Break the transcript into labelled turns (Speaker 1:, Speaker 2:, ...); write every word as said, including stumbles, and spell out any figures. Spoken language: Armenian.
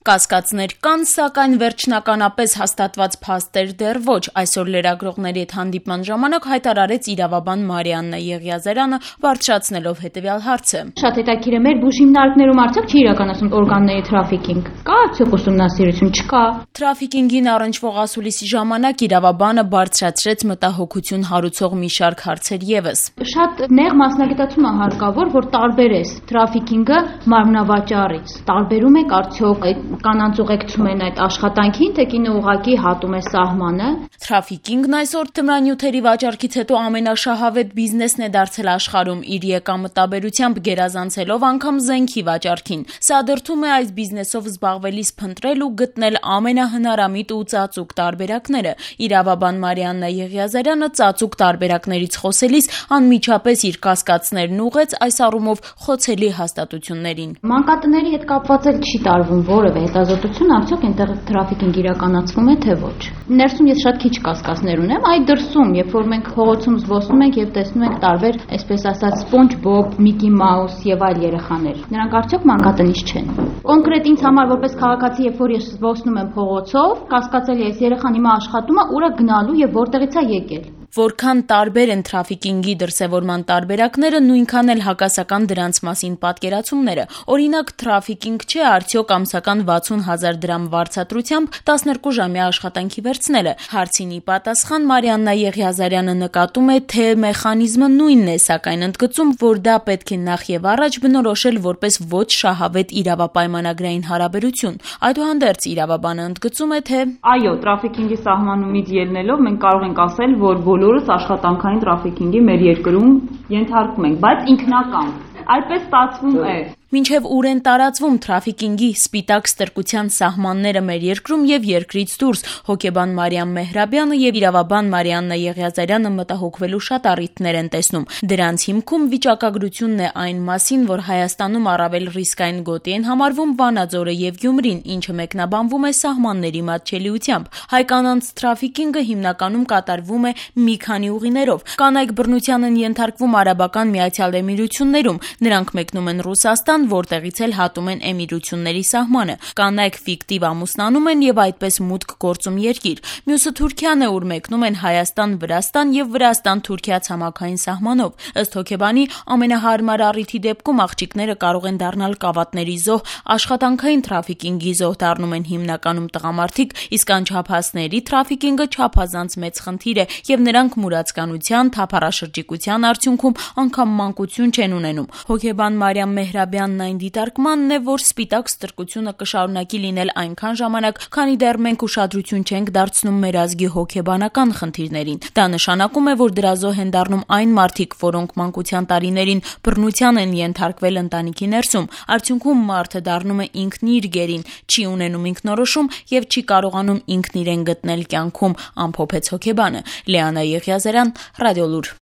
Speaker 1: Կասկածներ կան, սակայն վերջնականապես հաստատված փաստեր դեռ ոչ, այսօր լրագրողների հետ հանդիպման ժամանակ հայտարարեց իրավաբան Մարիաննա Եղիազարյանը, բարձրացնելով հետևյալ հարցը.
Speaker 2: Շատ հետաքրքիր է, մեր բուժհիմնարկներում արդյոք չի իրականացում օրգանների թրաֆիքինգ, կա արդյոք ուսումնասիրություն, չկա։
Speaker 1: Թրաֆիքինգին առնչվող ասուլիսի ժամանակ իրավաբանը բարձրացրեց մտահոգություն հարուցող մի շարք հարցեր ևս.
Speaker 2: Շատ նեղ մասնագիտացում է հարկավոր, որ տարբերես թրաֆիքինգը մարմնավաճառից, տարբերում եք արդյոք կանանց ուղեկցում են այդ աշխատանքին, թե կինը ուղղակի հատում է սահմանը։
Speaker 1: Թրաֆիքինգն այսօր թմրանյութերի վաճառքից հետո ամենաշահավետ բիզնեսն է դարձել աշխարհում, իր եկամտաբերությամբ գերազանցելով անգամ զենքի վաճառքին։ Սա դրդում է այս բիզնեսով զբաղվելիս փնտրել ու գտնել ամենահնարամիտ ու ծածուկ տարբերակները։ Իրավաբան Մարիաննա Եղիազարյանը ծածուկ տարբերակներից խոսելիս անմիջապես իր կասկածներն ուղղեց այս առումով խոցելի հաստատություններին։
Speaker 2: Մանկատների հետ կապված էլ չի տարվում որևէ հետազոտություն, արդյոք այնտեղ թրաֆիքինգ իրականացվում է թե ոչ։ Ներսում ես շատ քիչ կասկածներ ունեմ, այ դրսում, երբ որ մենք փողոցում զբոսնում ենք եւ տեսնում ենք տարբեր, այսպես ասած, Սպոնջ Բոբ, Միկի Մաուս եւ այլ երեխաներ, նրանք արդյոք մանկատնից չեն։ Կոնկրետ ինձ համար որպես քաղաքացի, երբ որ ես զբոսնում եմ փողոցով, կասկածել եմ, այս երեխան հիմա աշխատում է, ուր է գնալու եւ որտեղից է եկել։
Speaker 1: Որքան տարբեր են թրաֆիքինգի դրսևորման տարբերակները, նույնքան էլ հակասական դրանց մասին պատկերացումները։ Օրինակ, թրաֆիքինգ չէ արդյոք ամսական վաթսուն հազար դրամ վարձատրությամբ տասներկու ժամյա աշխատանքի վերցնելը։ Հարցին ի պատասխան Մարիաննա Եղիազարյանը նկատում է, թե մեխանիզմը նույնն է, սակայն ընդգծում, որ դա պետք է նախ եւ առաջ բնորոշել որպես ոչ շահավետ իրավապայմանագրային հարաբերություն։ Այդուհանդերձ իրավաբանը ընդգծում է, թե
Speaker 3: այո, թրաֆիքինգի սահմանումից ելնելով մենք կարող ենք ասել, որ բոլորս աշխատանքային թրաֆիքինգի մեր երկրում ենթարկվում ենք, բայց ինքնական։ Այդպես ստացվում է։
Speaker 1: Մինչև ուր են տարածվում թրաֆիքինգի սպիտակ ստրկության սահմանները մեր երկրում եւ երկրից դուրս, հոգեբան Մարիամ Մեհրաբյանը եւ իրավաբան Մարիաննա Եղիազարյանը մտահոգվելու շատ առիթներ են տեսնում։ Դրանց հիմքում վիճակագրությունն է այն մասին, որ Հայաստանում առավել ռիսկային գոտի են համարվում Վանաձորը եւ Գյումրին, ինչը մեկնաբանվում է սահմանների մատչելիությամբ։ Հայ կանանց թրաֆիքինգը հիմնականում կատարվում է մի քանի ուղիներով։ Կանայք բռնության են ենթարկվում Արաբական Միացյալ Էմիրություններում, նրանք մեկնում են Ռուսաստան, որտեղից էլ հատում են էմիրությունների սահմանը։ Կանայք ֆիկտիվ ամուսնանում են եւ այդպես մուտք գործում երկիր։ Մյուսը Թուրքիան է, ուր մեկնում են Հայաստան, Վրաստան եւ Վրաստան-Թուրքիա ցամաքային սահմանով։ Ըստ հոգեբանի, ամենահարմար առիթի դեպքում աղջիկները կարող են դառնալ կավատների զոհ, աշխատանքային թրաֆիքինգի զոհ դառնում են հիմնականում տղամարդիկ, իսկ անչափահասների թրաֆիքինգը չափազանց մեծ խնդիր է եւ նրանք մուրացկանության, թափառաշրջիկության արդյունքում անգամ մանկություն չեն ունենում։ Հոգեբան Մարիամ Մեհրաբյանն այն դիտարկմանն է, որ սպիտակ ստրկությունը կշարունակի լինել այնքան ժամանակ, քանի դեռ մենք ուշադրություն չենք դարձնում մեր ազգի հոգեբանական խնդիրներին։ Դա նշանակում է, որ դրա զոհ են դառնում այն մարդիկ, որոնք մանկության տարիներին բռնության են ենթարկվել ընտանիքի ներսում։ Արդյունքում մարդը դառնում է ինքն իր գերին, չի ունենում ինքնորոշում եւ չի կարողանում ինքն իրեն գտնել կյանքում, ամփոփեց հոգեբանը։ Լիանա Եղիազարյան, Ռադիոլուր։